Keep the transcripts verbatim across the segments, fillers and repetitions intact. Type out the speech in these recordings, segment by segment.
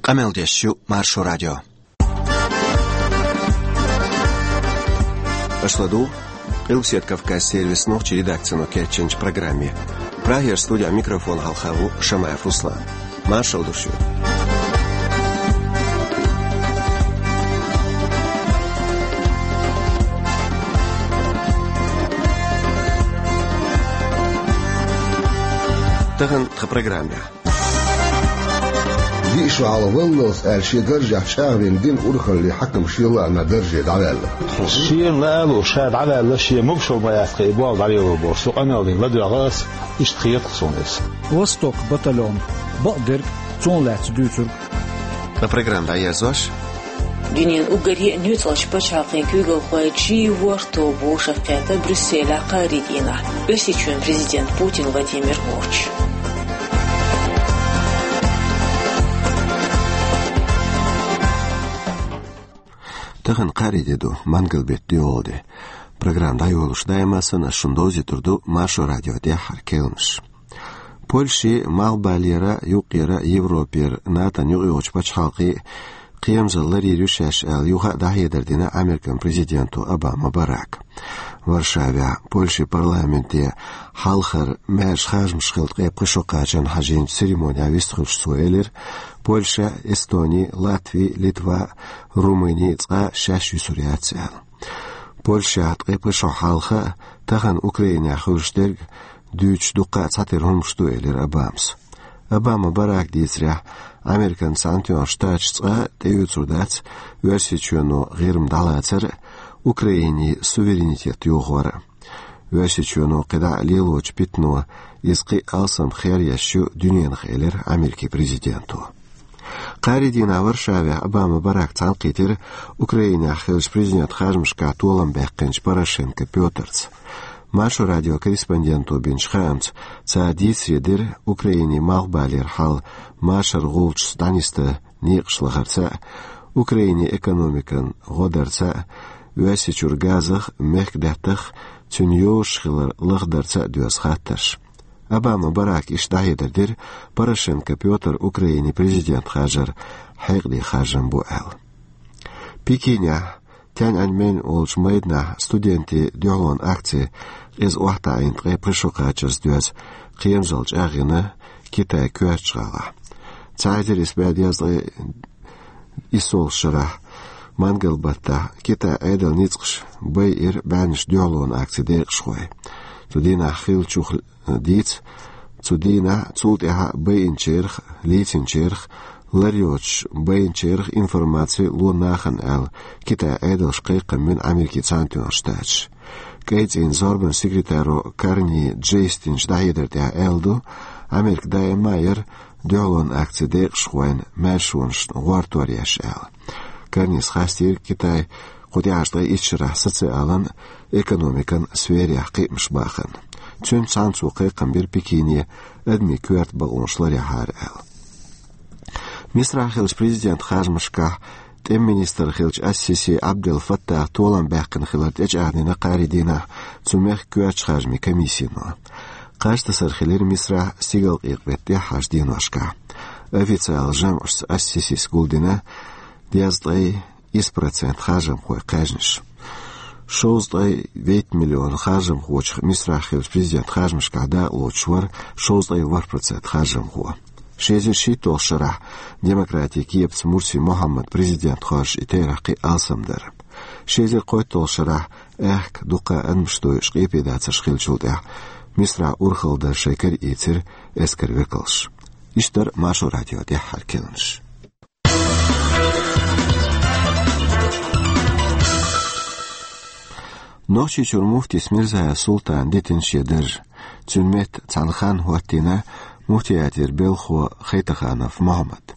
Къамел деш ю Маршо радио. Аша ладугӀу Къилбаседа Кавказ сервисан нохчийн редакцино кечйинчу программе. Прагера студехь микрофон хьалха ву Шамаев Руслан. Маршалла ду шуьга. Тахана тхан программехь. Диъ шо хьалха валлалц аьлла шен даржехь чӀагӀвина динан урхаллин хьаькам шен лаамехь дарже дӀаваьлла. Шена лаало ша дӀаваьлла, шен могушалла ма яц тхан и болх дӀалело бохуш, со къамел дина ладоьгӀна ас, иштта хета суна иза. «Восток» батальон, бакъдерг, цунах лаьцна дуьйцург. Ткъа программа дӀаерзош. Дуьненан уггаре а нуьцкъалчу пачхьалкхийн куьйгалхой чий ворхӀ тоба вовшахкхетта Брюсселехь кхаарин дийнахь Оьрсийчоьнан президент Путин Владимир воцуш. Тахана кхаарин де ду, мангал-беттан доьалгӀа де. Программа дӀайолош даима санна ас шуна довзуьйтур ду Маршо радион тӀаьххьара керланаш. Польши, Малхбалера, юккъера, Европера, НАТОн юкъайогӀучу пачхьалкхий кхерамзалла ларйийр ю шаьш аьлла, юха а дӀахьедар дина Американ президенто Обама Барака. Варшавехь Польшин парламенте хьалхара маьрша харжамаш хилла ткъе пхи шо кхачарна хьажийначу церемонехь вистхуьлуш цо элира: «Польша, Эстони, Латви, Литва, Румыни цкъа шаьш юьсур яц», — аьлла. Польшехь ткъе пхи шо хьалха а, тахана Украинехь хуьлуш дерг дуьйцуш дуккха а цхьатерра хӀуманаш ду, элира Обамас. Обама Барака дийцарехь, Американ Цхьаьнатоьхна Штаташ цкъа а тӀеоьцур дац Оьрсийчоьно ГӀирма дӀалацар а, Украинин суверенитет йохор а. Оьрсийчоьно кхидӀа а лелочу питано иза кхин а алсам хер еш ю дуьненах, элира Америкин президенто. Кхаарин дийнахь Варшавехь Обама Барака цхьаьнакхийтира Украинехь хиллачу президентан харжамашкахь толам баьккхинчу Порошенко Пётрца. Маршо радион корреспонденто бинчу хаамца, цара дийцаре дира Украинин Малхбалера хьал машаран гӀулчашца дӀанисдан некъаш лахарца а, Украинин экономикан гӀо дарца а, Оьрсийчуьра газах а, мехкдаьттах а цуьнан йозуш хилар лахдарца а доьзна хаттарш. Обама Барака иштта дӀахьедар дира, Порошенко Пётр Украинин президент хьажар хьекъале харжам бу аьлла. Пекинехь Тяньаньмэнь олучу майданахь студентийн дуьхьалонан акци къиза охьатаӀийна ткъе пхи шо кхачарца доьзна кхерамзалла чӀагӀйина Китайн коьртачу гӀалахь. Цхьа эзар исс бӀе дезткъе иссолгӀачу шарахь, мангал-баттахь, Китайн Ӏедалан ницкъаша байира бӀеннаш дуьхьалонан акцин декъашхой. Цу дийнахь хиллачух дийца, цу дийнахь, цул тӀаьхьа байинчарах, лийцинчарах, лар йоцуш байинчарах информаци ло нахана аьлла, Китайн Ӏедалшка кхайкхам бина Америкин Цхьаьнатоьхна Штаташа. КӀайцӀийнан зорбанан секретаро Карни Джейс динчу дӀахьедар тӀехь аьлла ду, Америка даима а яра дуьхьалонан акцин декъашхойн маьршонашна гӀортор еш аьлла. Карнис хастийра, Китай кху тӀаьхьарчу ткъе итт шарахь социалан а, экономикан а сферех кхиамаш бахана. Цуьнца цхьаьна цо кхайкхам бира Пекине адамийн коьрта бакъонаш ларъяхьара аьлла. Мисрахь хиллачу президентан харжамашкахь тӀеман министр хиллачу ас-Сиси Абдел Фаттах толам баьккхина хилар тӀечӀагӀдина кхаарин дийнахь цу мехкан коьртачу харжамийн комиссино. Кхаж тасар хилира Мисрахь стигалкъекъа беттан тӀаьххьарчу деношкахь. Официалан жамӀашца ас-Сисис гулдина дезткъе исс процент харжамхойн кхаьжнаш. Шовзткъе вейтта миллион харжамхочух Мисрахь хиллачу президентан харжамашкахь дакъалоцуш вара шовзткъе ворхӀ процент харжамхо. Ши эзар шийтталгӀачу шарахь демократийн кепаца Мурси Мухьаммад президент хоржуш и терахь кхин а алсам дара. Ши эзар кхойтталгӀачу шарахь аьхка дуккха а адамаш дойуш къепедацарш хиллачул тӀаьхьа Мисрахь урхалла дар шайн кара ийцира эскаран векалша. Иштта дара Маршо радион тӀаьххьара керланаш. Нохчийчуьра муфтис Мирзаев Султана дитина шен дарж. Цуьнан метта цхьана ханна хӀоттийна муфтиятера белхахо Хайтаханов Мухьаммад.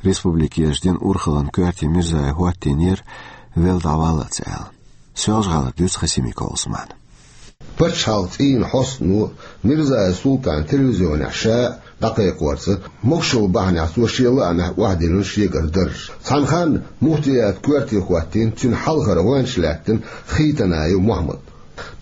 Республикерчу динан урхаллин коьрте Мирзаев хӀоттийнера велла дӀаваллалц аьлла. Соьлжа-ГӀалара дуьйцу Хасимиков Ӏусмана. Пачхьалкхан цӀийнан хьостано Мирзаев Султана телевизионехь ша а дӀакхайкхорца, могушалла бахьанехь цо шен лаамехь охьадиллина шегара дарж. Цхьана ханна муфтиятан коьрте хӀоттийна, цуьнан хьалхара гӀоьнча лаьттина Хайтанаев Мухьаммад.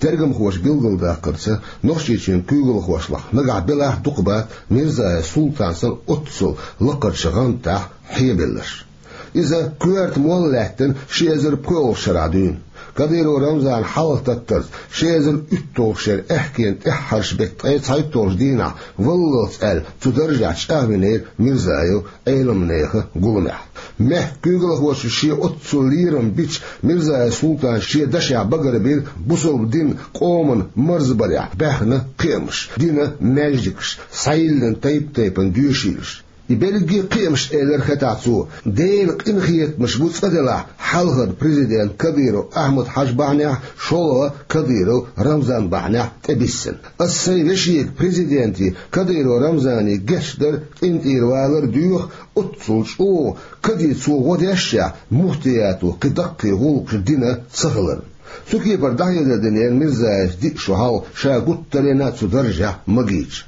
Тергамхоша билгалдаккхарца, Нохчийчоьнан куьйгалхошлахь нагахь белахь дукха бац Мирзаев Султан санна оццул лакхарчу гӀантехь хьебелларш. Иза коьрта молла лаьттина ши эзар пхоьалгӀачу шарахь дуьйна. Кадыров Рамзана хьалхататтарца ши эзар уьтталгӀачу шеран аьхкенан тӀаьххьарчу беттан ткъе цхьайтталгӀачу дийнахь валлалц аьлла цу даржехь чӀагӀвинера Мирзаев Ӏеламнехан гуламехь. Мехкан куьйгалхочун шен оццул лерам бича Мирзаев Султана шен дашехь багарбира бусалба динан, къоман марзбарехь баьхна кхиамаш, динан маьждигаш, схьайиллина тайп-тайпана доьшийлаш. И берриге а кхиамаш, элира хетахь цо, Делан къинхетамаш бу цкъа делахь хьалхара президент Кадыров Ахьмад-Хьаьжа бахьанехь, шолгӀа Кадыров Рамзан бахьанехь тӀебиссина. Ас сайн вешега, президенте Кадыров Рамзане гечдар, къинтӀера валар доьху, оццул чӀогӀа каде цо гӀо дешшехь, муфтиято кхин даккхий гӀуллакхаш дина ца хиларна. Цу кепара дӀахьедар динера Мирзаевс диъ шо хьалха ша гуттаренна а цу даржехь магийча.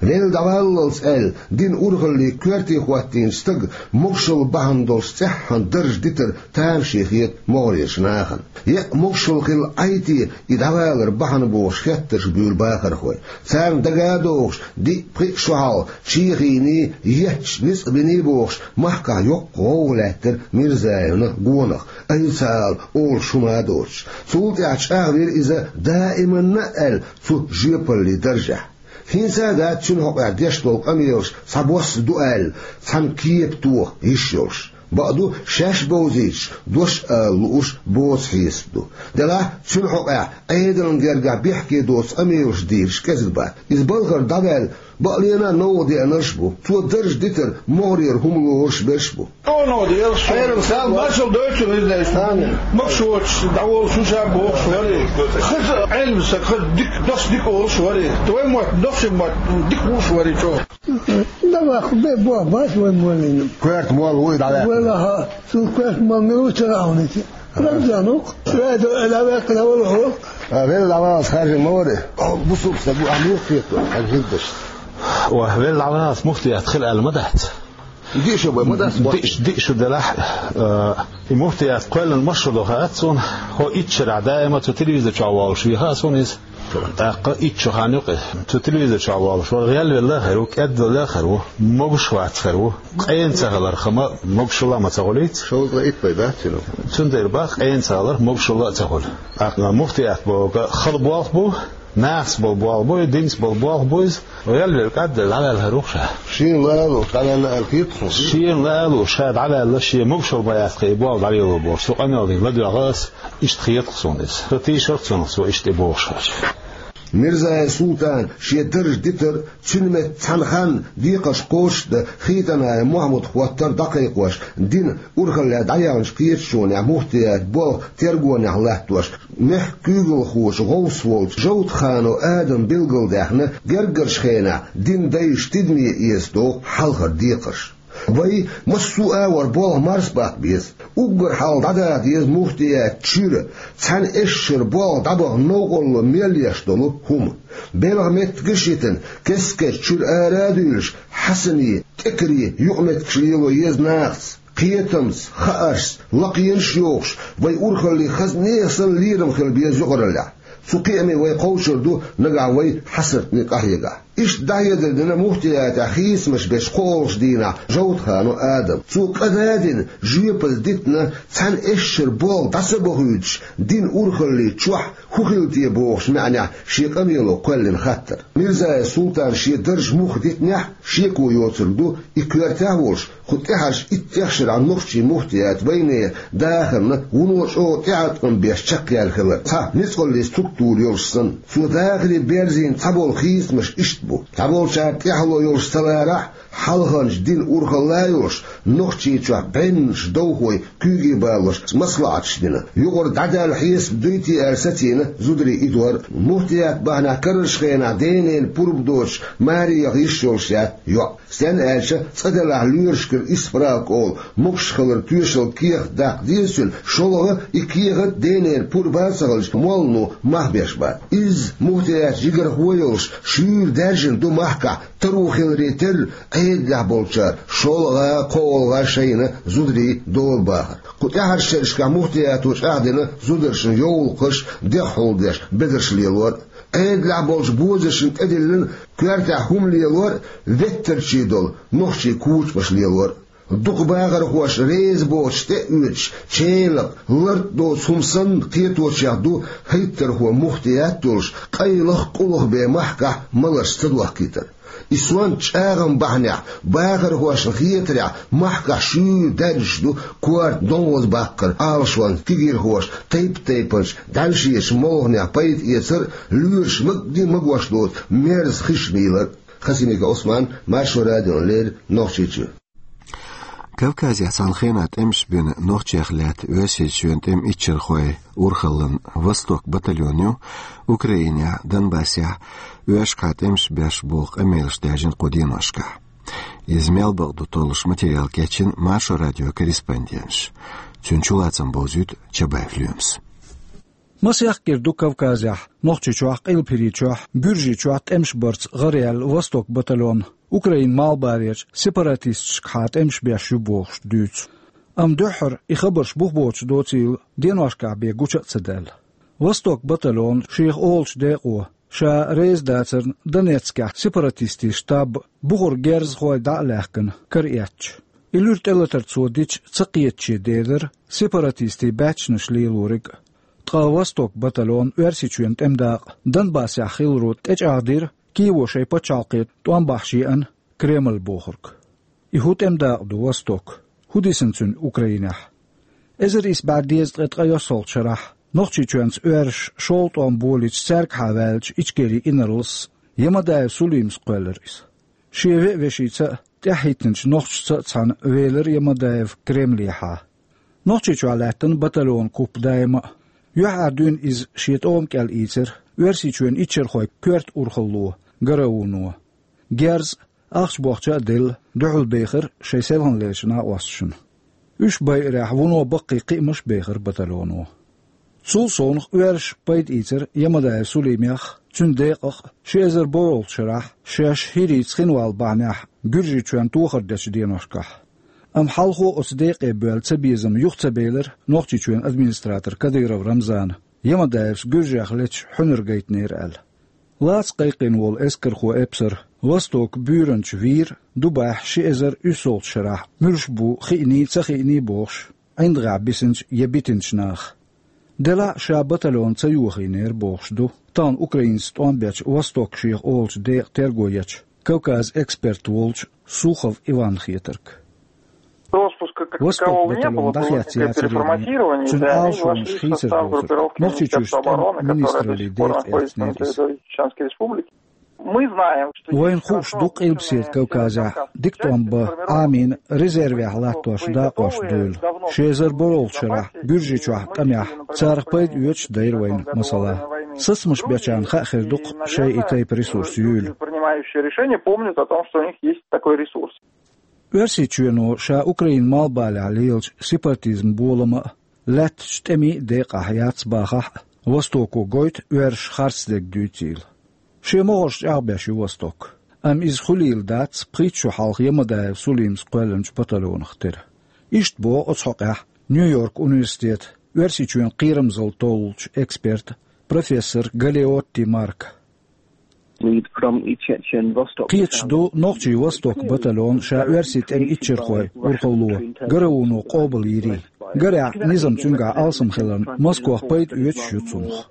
Велла дӀаваллалц аьлла, динан урхалле коьрте хӀоттийначу стага могушалла бахьана долуш цӀеххьана дарж дитар тамаше хета могӀарерчу нахана. Е а могушалла хилла Ӏай те и дӀавалар бахьана бохуш хеттарш буьйлу бахархой. Царна дага а догӀуш, диъ-пхиъ шо хьалха чехийний, етташ ницкъ биний бохуш, махкахь йоккха гӀовгӀа лаьттира Мирзаевна гонах, айса ала олуш хӀума а доцуш. Цул тӀаьхьа чӀагӀвира иза даиманна а аьлла цу жоьпаллин даржехь. ХӀинца а дац цуьнан хьокъехь деш долу къамелаш цхьабосса ду аьлла, цхьана кепа тоха йиш йолуш. Бакъду, шаьш бовзийтуш, дош а ала лууш боцу хьесап ду. Делахь, цуьнан хьокъехь Ӏедална гергахь бехке доцу къамелаш дийраш кӀезиг бац. Иза балхара дӀаваьлла, бакъ лена а новкъа деанарш а бу. Цо дарж дитар могӀарера хӀума лоруш берш а бу. Оно делаш. Хьерам сам маршал дойтун изнеш. Амин. Могушочуьнца дӀаволуш шу ша бохуш вари. Хаза Ӏелам саг, хаза дика, дос дика олуш вари. Твой мот, дос мот, дика вуш вари чо. Давай, бе, бо, бац вай моллина. Коьрта молла вуй, давай. Валаха, цул коьрта молла ме ву чара авнити. Рамзанук, вай до, давай, давай, давай. А, вел давай, скажи, море. О, бусук, сагу, а, мух, хету, а, хиддаш. О, вел давай, муфтият хил аль-мадат. Диъ шу бен ма дац, диъ шу, диъ шу делахь, э, и муфтият кхоьллина масал ду хаьа суна, хӀо итт шарахь даима цу телевизор чохь волуш вехаъ суна иза. ТӀаккха итт шу хан юкъе цу телевизор чохь волуш вара, гӀелвелла а хир ву, кӀедвелла а хир ву, могуш вац хир ву, къена ца хиларх ма, могушалла а ма ца гӀулийца. Шовзткъе итт бен дац цуьнан. Цундела бах къена ца хиларх могушалла а ца хуьлу. ТӀаккха муфтият бохург хала болх бу, нахаца болу болх бу, динца болу болх бу иза. ГӀелвелла кӀаддала дӀаваьлла хир ву ша. Шена лаало дӀаваьлла аьлла хета суна. Шена лаало ша дӀаваьлла, шен могушалла ма яц кхин и болх дӀавелла бохуш, цу къамелдина ладоьгӀна ас, иштта хета суна иза. Сан тийшар цунах цо иштта и бохуш хилча. Мирзаев Султана шен дарж дитар, цуьнан метта цхьана ханна декхарш кхочушдан Хитанаев Мохьмад хӀоттар дӀакхайкхош, динан урхаллехь дӀаяьхначу кхеташонехь муфтият болх тергонехь латтош, мехкан куьйгалхочун гӀовс волчу Жовтханов Адама билгалдаьхна, герггарчу хенахь динан дайша тидаме эца догӀу хьалхара декхарш. Вай массо а агӀор болх марсабаккха беза. Уггар хьалха дӀадаха деза муфтият чуьра, цхьана эшшара болх дӀабаха новкъарло мел еш долу хӀума. Белхан меттигаш а йитина, кескачу чуьра ара а дуьйлуш, хьасанийн, тӀекарийн юкъаметтигаш лело еза нахаца, кхетамца, хааршца, лакхенаш а йохуш, вай урхаллин хаза нехан санна лерам хила беза юкъараллехь. Цу кхиаме вай кховчур ду нагахь вай хьасартана къахьегахь. Иштта дӀахьедар дина муфтиятехь хийцамаш бечу кхоалгӀачу дийнахь Жовтханов Адама. Цо кӀада а дина, жоьпалла дитина, цхьана эшшара болх дӀа ца бохуьйтуш, динан урхаллин чохь хӀун хила те бохучу маьӀнехь шен къамело кхоьллина хаттар. Мирзаев Султана шен дарж муха дитинехь, шеко йоцург ду и коьртехь а волуш, кху тӀаьхьарчу иттех шарахь нохчийн муфтият вайнера дахарна вуно чӀогӀа тӀеӀаткъам беш чекхъяьлла хилар, цхьа ницкъаллин структура йолуш санна. Цо дахаре берзийна цхьаболу хийцамаш иштта бу: цхьаболчара тӀаьхьало йолуш ца ларахь, хьалханчу динан урхалла а йолуш, Нохчийчохь бӀеннаш довхой куьйге балош маслаӀаташ дина. Юкъара дӀадаьлла хьесап дуй те аьлла сацийна зударий и дор. Муфтият бахьанехь карарчу хенахь денна пурба доцуш маре яха йиш йолуш яц йоӀ. Стенна аьлча, цкъа делахь лоьрашкара исправка олу могуш хиларан тоьшалла кехат даккха деза цуьнан, шолгӀа и кехат денна пурба а ца хилча, моллано мах беш бац. Изза муфтиятан жигархо а йолуш, шуьйра даьржина ду махкахь Таро хиларе терра Ӏедалехь болчара шолгӀа, кхоалгӀа шайна зударий дола бахар. Кху тӀаьхьарчу шерашкахь муфтиято чӀагӀдина зударшна йовлакхаш, дегӀ хьулдеш, безарш лелор а, Ӏедалехь болчу бозаршна тӀедиллина коьртехь хӀума лелор а, веттарчий долу нохчий кучамаш лелор а. Дукха бахархоша реза боцуш тӀе а оьцуш, ченакъ, лард доцу хӀума санна кхеточех ду хӀиттархо муфтият а йолуш, къайлаха, къулаха бен махкахь маларш ца дохкийтар. И сонта чӀагӀам бахьанехь, бахархошна хетарехь, махкахь шуьйра даьржаш ду корта донхаза баккхар Ӏалашонца кегийрхоша тайп-тайпанчу дӀаьллачу молханех пайда эцар а, лоьраш магадий магош доцу мерза хиш мийлар а. Хасимиков Ӏусман, Маршо радиона леррина, Нохчийчоь. Кавказехь цхьана хенахь тӀемаш бина нохчех лаьтта Оьрсийчоьнан тӀеман иччархойн урхаллин «Восток» батальон ю Украинехь, Донбассехь, оьрсашкахьа тӀемаш беш боху къамелаш даьржина кху деношкахь. Иза мел бакъ ду толлуш материал кечйина Маршо радион корреспонденташа. Цуьнан чулацам бовзуьйту Чабаев Лоьмас. Масех кӀира ду Кавказехь, Нохчийчохь, Къилбаседа Хьуьйчохь, Гуьржийчохь тӀемаш барца гӀараяьлла «Восток» батальон, Украинан малхбалерчу сепаратисташкахьа тӀемаш беш ю бохуш дуьйцу. Амма дуьххьара и хабарш бух боцуш доцийла деношкахь бен гуча а ца даьлла. «Восток» батальон шех олучу декъо, ша реза дацарна Донецкехь сепаратистийн штаб бухара герзахой дӀа а лаьхкина, кара эцча. И луьра тӀелатар цо дича ца кхетаче делира сепаратистийн баьччанаш лелориг а. Ткъа «Восток» батальонан Оьрсийчоьнан тӀеман дакъа Донбассехь хиларо тӀечӀагӀдира Киево шайн пачхьалкхе тӀом бахьаш еана Кремль бохург. И хӀун тӀеман дакъа ду «Восток»? ХӀун дисина цуьнан Украинехь? Эзар исс бӀе дезткъе ткъайоьсналгӀачу шарахь Нохчийчоьнца оьрсаша шолгӀа тӀом болийча цаьргахьа ваьллачу Ичкерин инарлас Ямадаев Сулимас кхоьллира иза. Шен веа-вешица а, тӀаьхьахӀиттинчу нохчашца а цхьаьна велира Ямадаев Кремлехьа. Нохчийчохь лаьттина батальонан куп даима а. ЮьхьӀаьржа дуьйна иза шен тӀома кӀел ийцира Оьрсийчоьнан иччархойн коьрта урхалло, ГРУ-но. Герз а, ахча-бохча а делла, дуьхьал бехира шайн селханлерчу накъосташна. Уьш байарехь, вуно баккхий кхиамаш а бехира батальоно. Цул совнаха оьрсаша пайда ийцира Ямадаев Сулимех а, цуьнан декъах а ши эзар борхӀалгӀачу шарахь шаьш хӀирийца хинвалла бахьанехь Гуьржийчоьнна тохар дечу деношкахь. Амма хьалхо оцу декъе боьлла цабезам юха ца белира Нохчийчоьнан администратора Кадыров Рамзана, Ямадаевс Гуьржех леташ хьуьнар гайтинера аьлла. Лаца кхайкхийна волу эскархо-эпсар «Восток» буьйранча вийра Дубайхь ши эзар уьссалгӀачу шарахь муьлш бу хиъний, ца хиъний бохуш, ӀиндагӀехь бисинчу я битинчу наха. Делахь а ша батальон ца йохийнера бохуш ду тахана Украинца тӀом бечу «Восток» шех олучу декъан терго ечу Кавказан эксперт волчу Сухов Иванна хетарг. Роспуска как такового не было, было некое переформатирование, да, и они вошли в состав группировки Министерства обороны, которая до сих пор находится на территории Чеченской Республики. Мы знаем, что есть... Вайна хууш ду Къилбаседа Кавказехь дика тӀом бан Ӏамийна резервехь латтош дакъош дуьйла. Ши эзар борхӀалгӀачу шарахь Гуьржийчохь къамехь царах пайда оьцуш дайра вайна, масала. Сацамаш бечарна хаа хир ду-кх шайн и тайпа ресурс юйла. Принимающие решения помнят о том, что у них есть такой ресурс. Оьрсийчоьно ша Украинан малхбалехь лелачу сепаратизман болама а, лаьттачу тӀемийн а декъахь яц бахахь а, «Востоко» гойту оьрсаша харцдерг дуьйцийла. Шен могӀарш чӀагӀбеш ю «Восток». Амма иза хуьлийла дац пхийтта шо хьалха Ямадаев Сулимас кхоьллинчу батальонах тера. Иштта боху оцу хьокъехь Нью-Йорк университетан Оьрсийчоьнан кхерамзалла толлучу эксперта, профессора Галеотти Марка. Кхеташ ду нохчийн «Восток» батальон ша оьрсийн тӀеман иччархойн урхалло, ГРУ-но къобалйийрий. Гарехь, низам цуьнгахь алсам хиларна, Москох пайда оьцуш ю цунах.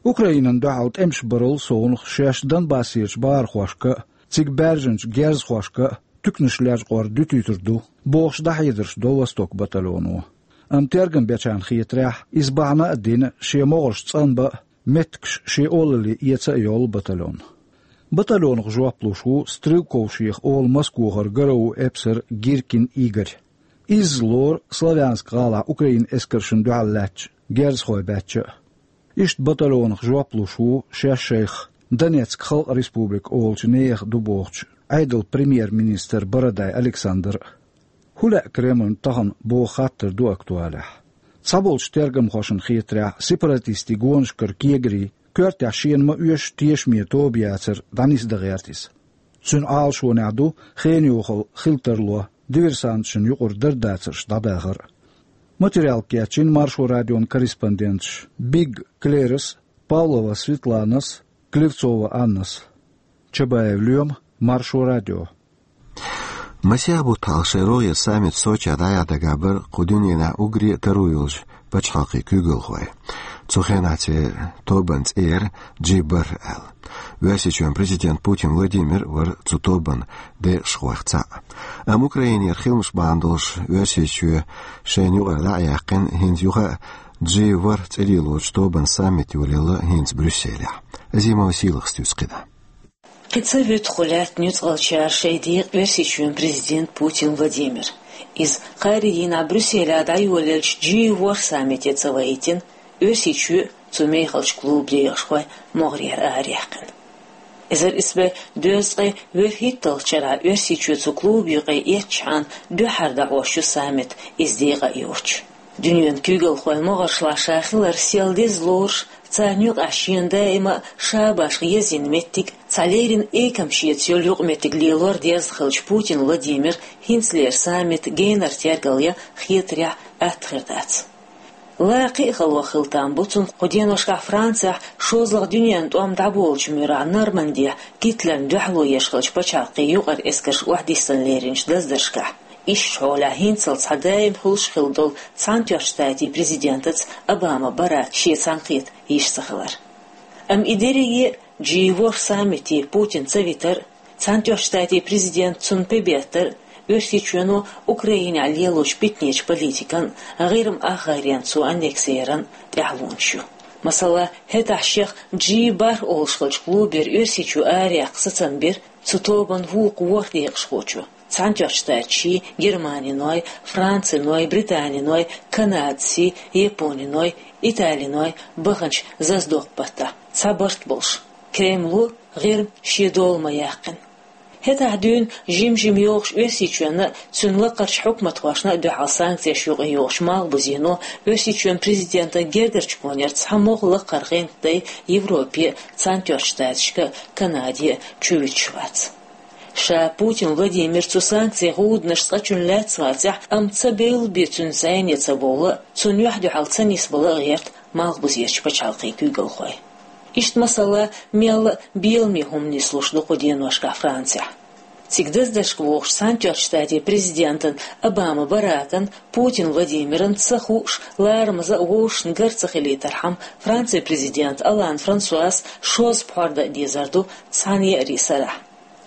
Украинана дуьхьал тӀемаш барал совнаха шаьш Донбассерчу бахархошка а, цига баьржинчу герзахошка а туьканаш лечкъор дуьтуьйтур ду, бохуш дӀахьедарш до «Восток» батальоно. Амма тергам бечарна хетарехь, иза бахьана а дина шен могӀарш цӀанбан а, меттигаш шен олалле эца а йолу батальон. Батальонах жоп луш ву Стрелков шех олу Москохара ГРУ эпсар Гиркин Игорь. Изза лору Славянск гӀалахь Украинан эскаршна дуьхьал лаьттачу герзахойн баьчча а. Иштта батальонах жоп луш ву шаьш шайх Донецк Халкъан Республика олучу нехан ду бохучу Ӏедалан премьер-министр Бородай Александр а. ХӀун лаьа Кремлна тахана боху хаттар ду актуалехь. Цхьаболчу тергамхошна хетарехь, сепаратистийн гонашкара кегарий коьртехь шена ма оьшу тешаме тоба яцар дӀанисдан гӀерта иза. Цуьнан Ӏалашонехь ду хенан йохалла хила тарло, диверсанташна юкъара дарба дацарш дӀадахар а. Материал кечйина Маршо радион корреспонденташ Биг Клерас, Павлова Светланас, Клевцова Аннас. Чабаев Лоьма, Маршо радио. Масех бутт хьалха шайн рогӀера саммит Сочехь дӀаяхьа дагахь бара кху дуьненахь уггаре а таро йолчу пачхьалкхийн куьйгалхой. Цу хенахь церан тобанан цӀе яра Джи Бар аьлла. Оьрсийчоьнан президент Путин Владимир вара цу тобанан декъашхойх цхьаъ. Амма Украинера хиламаш бахьана долуш Оьрсийчоь шайна юкъара дӀа а яьккхина, хӀинца юха а Джи Бар цӀе лелочу тобанан саммит йолаелла хӀинца Брюсселехь. Азимова Сийлахьас туьйцу кхидӀа. Кхин ца вуьту кху лаьттан нуьцкъалчара шайн декъа Оьрсийчоьнан президент Путин Владимир. Иза кхаарин дийнахь Брюсселехь дӀайолаеллачу Джи ворхӀ саммите ца вайтина, Оьрсийчоь а, цу мехалчу клубан декъашхой а могӀарера араяьккхина. Эзар исс бӀе дезткъе вуьрхӀитталгӀачу шарахь Оьрсийчоь цу клубан юкъе эцначхьана дуьххьара дӀахьош ю саммит, иза декъа а йоцуш. Дуьненан куьйгалхойн могӀаршлахь ша хилар сел деза лоруш, царна юкъахь шена даима а ша башха езйина меттиг, цхьа леррина экам шеца йолу юкъаметтиг лелор дезна хиллачу Путин Владимира хӀинцалера саммит генара тергал ян хетарехь атта хир дац. Ла кхин а хало хила там бу цунна кху деношкахь Францехь шозлагӀа дуьненан тӀом дӀаболучу муьрехь Нормандехь Гитлерна дуьхьало еш хиллачу пачхьалкхийн юкъара эскарш охьадиссина леринчу даздаршкахь. Иштта хьолехь хӀинццалц цхьа даим хуьлуш хилла долу Цхьаьнатоьхначу Штатийн президентаца Обама Барака шен цхьаьнакхета йиш ца хилар. Амма и дерриге а, Джи ворхӀ саммите Путин ца витар а, Цхьаьнатоьхначу Штатийн президент цунна пе беттар а, Оьрсийчоьно Украинехь лелочу питанечу политикан а, ГӀирма ахгӀайренан цо аннекси яран а тӀаьхьалонаш ю. Масала, хӀетахь шех Джи бархӀ олуш хиллачу клубера Оьрсийчу араяьккха сацам бира цу тобанан вукху ворхӀ декъашхочо. Цхьаьнатоьхначу Штаташий, германиной, франциной, британиной, канадций, япониной, италиной баханчу зазадоккху баттахь цхьа барт болуш, Кремло ГӀирма шен дола ма яьккхина. ХӀетахь дуьйна жим-жима йогӀуш Оьрсийчоьнна а, цуьнан лакхарчу хьукматхошна а дуьхьал санкцеш юкъайогӀучу Малхбузено Оьрсийчоьнан президентан гергарчу гонера цхьа могӀа лакхара гӀенттдай Европе а, Цхьаьнатоьхначу Штаташка а, Канаде а чувуьтуш вац. Ша Путин Владимир цу санкцийн гӀуданаш цкъачунна лаьцна вацахь, амма ца бевлла бен цуьнца зӀене ца бовла а, цунна юьхь-дуьхьал ца нисбала а гӀерта Малхбузерчу пачхьалкхийн куьйгалхой. Иштта масала мелла а беламе хӀума нислуш ду кху деношкахь Францехь. Цига даздаршка вогӀучу Цхьаьнатоьхначу Штатийн президентан Обама Баракан, Путин Владимиран ца хууш, ларамаза а вовшашна гар ца хилийтархьама, Францин президент Олланд Франсуас шозза пхьор дан а дезар ду цхьана еарин сарахь.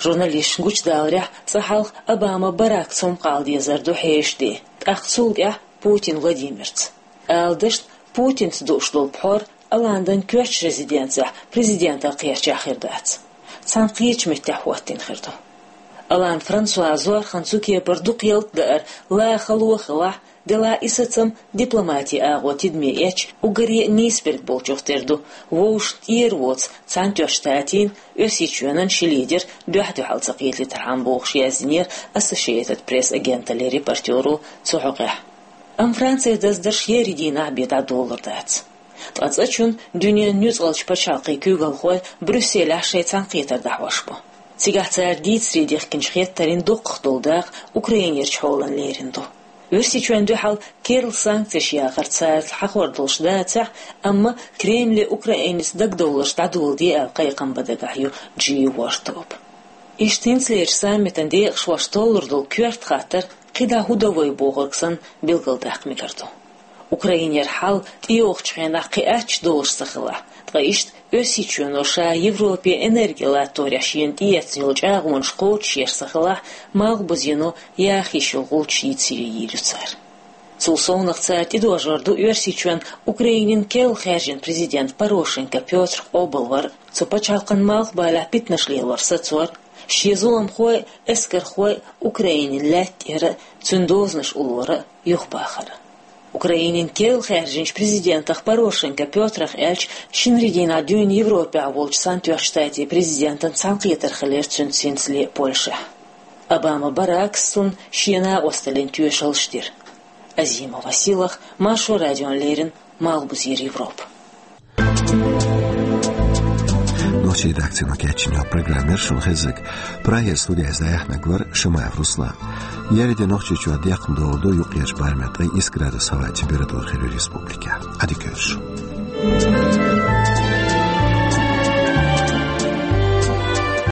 Журналисташна гучудаларехь, цкъа хьалха Обама Барак цомгӀала дезар ду хьешан де, тӀаккха цул тӀаьхьа Путин Владимирца. Ала дашна, Путинца дууш долу пхьор Олландан коьртачу резиденцехь президентал кхерчахь хир дац. Цхьана кхечу меттехь хӀоттийна хир ду. Олланд Франсуа зорхан цу кепара дукха ялта даар ла хало а хилахь, делахь и сацам дипломатин агӀо тидаме эцча уггаре а нийсберг болчух тера ду, вовшашна тӀера воцу Цхьаьнатоьхначу Штатийн, Оьрсийчоьнан ши лидер дуьхь-дуьхьал ца кхетийтархьама, бохуш яздинера Associated Press агенталлин репортеро цу хьокъехь. Амма Францин даздарш еарин дийнахь бен дӀадолалур дац. Ткъа цкъачунна дуьненан нуьцкъалчу пачхьалкхийн куьйгалхой Брюсселехь шайн цхьаьнакхетар дӀахьош бу. Цигахь цара дийцаре дихкинчу хеттарийн доккхах долу дакъа Украинерчу хьолана лерина ду. Оьрсийчоьнна дуьхьал керла санкцеш яхар царца хьахор долуш дацахь а, амма Кремле Украинаца дагадовларш дӀадоладе аьлла кхайкхам бан дагахь ю Джи ворхӀ тоба. Иштта хӀинцалерчу саммитан декъашхоша толлур долу коьрта хаттар кхидӀа хӀун до вай бохург санна билгалдаккха мегар ду. Украинера хьал тӀейогӀучу хенахь кхин аттачу долуш ца хилахь, ткъа иштта Оьрсийчоьно ша Европе энерги латторехь шена тӀеэцна йолу чӀагӀонаш кхочушъеш ца хилахь, Малхбузено яха йиш йолу гӀулчаш йийцаре йийр ю цара. Цул совнаха цара тӀедожор ду Оьрсийчоьнан Украинин керла хаьржина президент Порошенко Пётр къобалвар, цу пачхьалкхан малхбалехь питанаш лелор сацор, шен зуламхой а, эскархой а Украинин лаьтта тӀера а, цуьнан дозанаш уллора а юхабахар. Украинин керла хаьржинчу президентах Порошенко Пётрах аьлча, шинарин дийнахь дуьйна Европехь волчу Цхьаьнатоьхначу Штатийн президентан цхьаьнакхетар хилира цуьнца хӀинцале Польшехь. Обама Баракас цунна шен накъосталлин тоьшаллаш дира. Азимова Сийлахь, Маршо радиона леррина, Малхбузера Европа. Редакцино кечино программер шун хезик. Прагера студияйза яхнагвар Шамаев Руслан. Яриде Нохчийчуа дехн долду юкьяч бармет ай ис градус хава температура хилю республика. Адикерш.